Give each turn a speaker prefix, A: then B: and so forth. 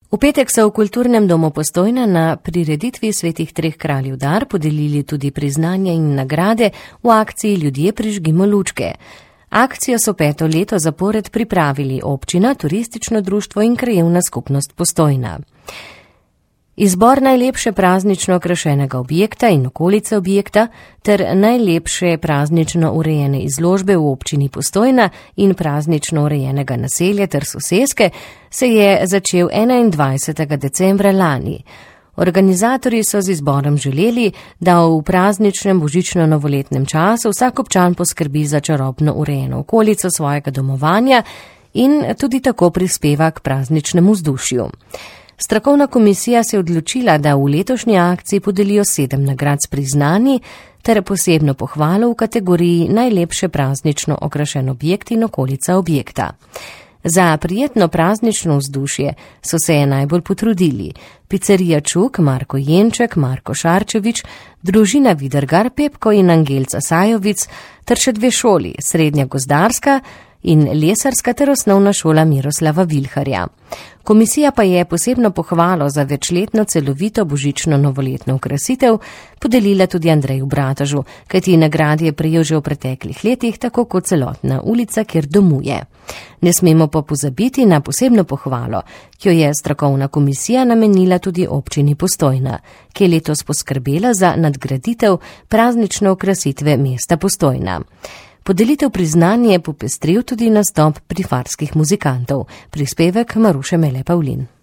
A: V petek so v Kulturnem domu Postojna na prireditvi Svetih treh kraljev dar podelili tudi priznanja in nagrade v akciji Ljudje prižgimo lučke. Akcijo so 5. leto zapored pripravili občina, turistično društvo in krajevna skupnost Postojna. Izbor najlepše praznično okrašenega objekta in okolice objekta ter najlepše praznično urejene izložbe v občini Postojna in praznično urejenega naselja ter soseske se je začel 21. decembra lani. Organizatorji so z izborom želeli, da v prazničnem božično-novoletnem času vsak občan poskrbi za čarobno urejeno okolico svojega domovanja in tudi tako prispeva k prazničnemu vzdušju. Strokovna komisija se je odločila, da v letošnji akciji podelijo 7 nagrad s priznanji ter posebno pohvalo v kategoriji najlepše praznično okrašen objekt in okolica objekta. Za prijetno praznično vzdušje so se najbolj potrudili Picerija Čuk, Marko Jenček, Marko Šarčevič, družina Vidergar, Pepko in Angelca Sajovic ter še 2 šoli, Srednja gozdarska in lesarska ter osnovna šola Miroslava Vilharja. Komisija pa je posebno pohvalo za večletno celovito božično-novoletno okrasitev podelila tudi Andreju Bratažu, kajti nagradi je prejel že v preteklih letih, tako kot celotna ulica, kjer domuje. Ne smemo pa pozabiti na posebno pohvalo, ki jo je strokovna komisija namenila tudi občini Postojna, ki je letos poskrbela za nadgraditev praznične okrasitve mesta Postojna. Podelitev priznanja je popestril tudi nastop prifarskih muzikantov. Prispevek Maruše Mele Pavlin.